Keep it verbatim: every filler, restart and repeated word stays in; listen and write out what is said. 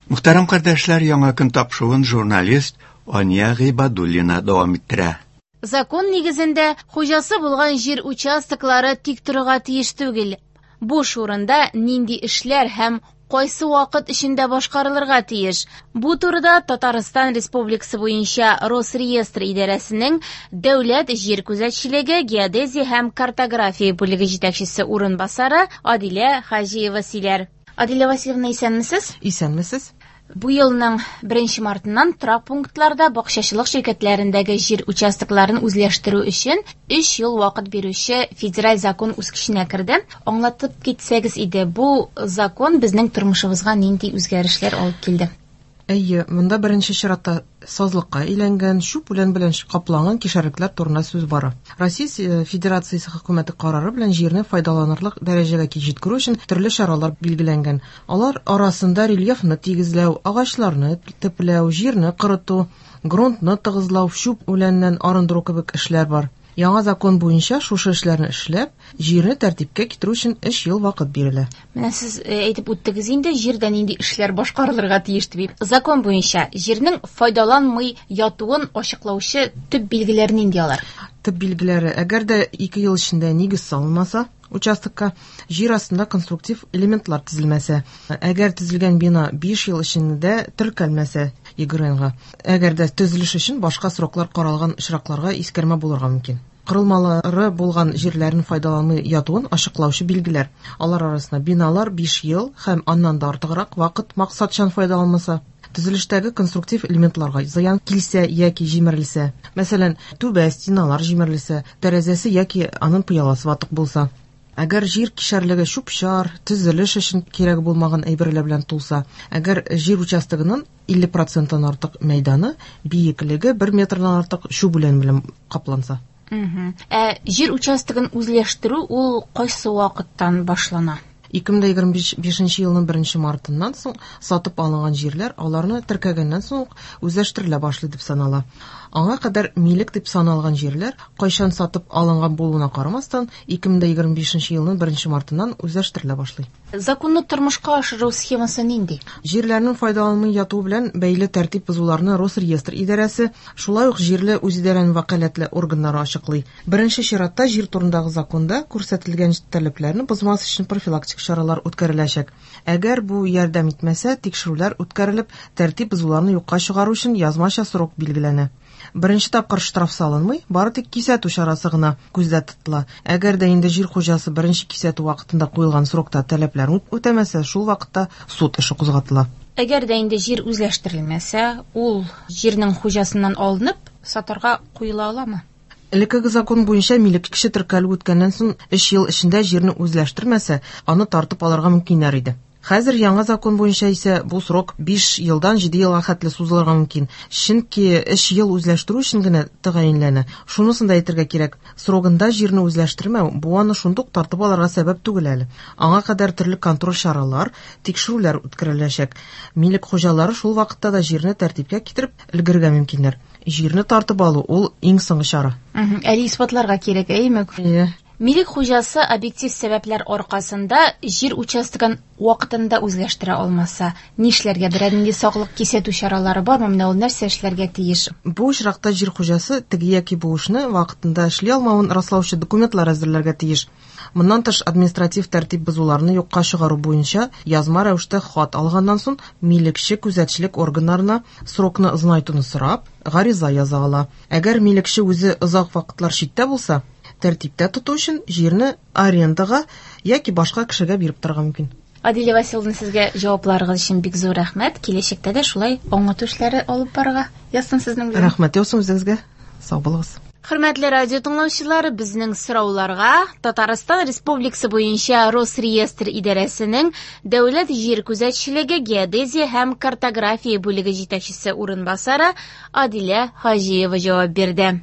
Мөхтәрәм кардәшләр, яңа көн тапшыруын журналист Ания Гыйбадуллина дәвам иттерә. Закон нигезендә хуҗасы булган җир участоклары тик торырга тиеш түгел. Буш урында нинди эшләр һәм кайсы вакыт эчендә башкарылырга тиеш? Бу турыда Татарстан Республикасы буенча Росреестр идарәсенең Дәүләт җир күзәтчелеге, геодезия һәм картография бүлеге җитәкчесе урынбасары Адилә Хаҗиева сөйләр. Адилә Васильевна, исәнмесез? Исәнмесез. Бу елның беренче мартыннан торак пунктларда бакчачылык ширкәтләрендәге җир участокларын үзләштерү өчен өч ел вакыт бирүче федераль закон үз көченә керде. Аңлатып китсәгез иде, бу закон безнең тормышыбызга нинди үзгәрешләр алып килде? Әйе, монда беренче чиратта сазлыкка әйләнгән, чүп үлән белән капланган кишәрлекләр турында сүз бара. Россия Федерациясе хөкүмәте карары белән җирне файдаланырлык дәрәҗәгә җиткерү өчен төрле чаралар билгеләнгән. Алар арасында рельефны тигезләү, агачларны төпләү, җирне корыту, грунтны тыгызлау, чүп үләннән арындыру кебек эшләр бар. Яңа закон буенча шушы эшләрне эшләп, җирне тәртипкә китерү өчен өч ел вакыт бирелә. Менә сез әйтеп үттегез инде, җирдә нинди эшләр башкарылырга тиеш дип. Закон буенча җирнең файдаланмый ятуын ачыклаучы төп билгеләр нинди алар? Төп билгеләре, әгәр дә ике ел эчендә нигез салынмаса, участокка җир астында конструктив элементлар төзелмәсә, әгәр төзелгән бина биш ел эчендә теркәлмәсә ЕГРНга, әгәр дә төзелеш өчен башка сроклар каралган очракларга искәрмә булырга мөмкин. Корылмалары булган җирләрен файдаланмый ятуын ачыклаучы билгеләр. Алар арасында биналар биш ел һәм аннан да артыграк вакыт максатчан файдаланмаса, төзелештәге конструктив элементларга зыян килсә яки җимерелсә, мәсәлән, түбә, стеналар җимерелсә, тәрәзәсе яки аның пыяласы ватык булса, әгәр җир кишәрлеге чүп-чар, төзелеш өчен кирәк булмаган әйберләр белән тулса, әгәр җир участогының илле проценттан артык мәйданы биеклеге бер метрдан артык чүп үлән белән капланса. Ә җир участогын үзләштерү ул кайсы вакыттан башлана? ике мең егерме бишенче елның беренче мартыннан соң сатып алынган җирләр аларны теркәгәннән соң ук үзләштерелә башлый дип санала. Аңа кадәр милек дип саналган җирләр кайчан сатып алынган булуына карамастан ике мең егерме бишенче елның беренче мартыннан үзләштерелә башлый. Законны тормышка ашыру схемасы нинди? Җирләрнең файдаланмый ятуы белән бәйле тәртип бозуларны Росреестр идарәсе, шулай ук җирле үзидарәнең вәкаләтле органнары ачыклый. Беренче чиратта җир турындагы законда күрсәтелгән таләпләрне бозмас өчен профилактик чаралар үткәреләчәк. Әгәр бу ярдәм итмәсә, тикшерүләр үткәрелеп, тәртип бозуларны юкка чыгару өчен язмача срок билгеләнә. Беренче тапкыр штраф салынмый, бары тик кисәтү чарасы гына күздә тотыла. Әгәр дә инде җир хуҗасы беренче кисәтү вакытында куелган срокта таләпләрне үтәмәсә, шул вакытта суд эше кузгатыла. Әгәр дә инде җир үзләштерелмәсә, ул җирнең хуҗасыннан алынып, сатарга куела аламы? Элеккеге закон буенча милек кеше теркәлү үткәннән соң өч ел эчендә җирне үзләштермәсә, аны тартып алырга мөмкиннәр иде. Хәзер яңа закон буенча исә бу срок биш елдан җиде елга хәтле сузылырга мөмкин. Чөнки өч ел үзләштерү өчен генә тәгаенләнә. Шунысын да әйтергә кирәк, срогында җирне үзләштермәү бу аны шундук тартып алырга сәбәп түгел әле. Аңа кадәр төрле контроль чаралар, тикшерүләр үткәреләчәк. Милек хуҗалары шул вакытта да җирне тәртипкә китереп өлгерергә мөмкиннәр. Җирне тартып алу ул иң соңгы чара. Әле исбатларга кирәк, әйеме? Әйе. Милек хуҗасы объектив сәбәпләр аркасында җир участогын вакытында үзләштерә алмаса, нишләргә? Берәр нинди саклык кисәтү чаралары бармы? Менә ул нәрсә эшләргә тиеш? Бу очракта җир хуҗасы теге яки бу эшне вакытында эшли алмавын раслаучы документлар әзерләргә тиеш. Моннан тыш административ тәртип бозуларны юкка чыгару буенча язма рәвештә хат алганнан соң милекче күзәтчелек органнарына срокны озынайтуны сорап, гариза яза ала. Әгәр милекче үзе озак вакытлар читтә булса, тәртиптә тоту өчен җирне арендага яки башка кешегә биреп торырга мөмкин. Адилә Васильевна, сезгә җавапларыгыз өчен бик зур рәхмәт. Киләчәктә дә шулай аңлату эшләре алып барырга язсын сезнең белән. Рәхмәт яусын үзегезгә. Сау булыгыз. Хөрмәтле радио тыңлаучылар, безнең сорауларга Татарстан Республикасы буенча Росреестр идарәсенең Дәүләт җир күзәтчелеге, геодезия һәм картография бүлеге җитәкчесе урынбасары Адилә Хаҗиева җавап бирде.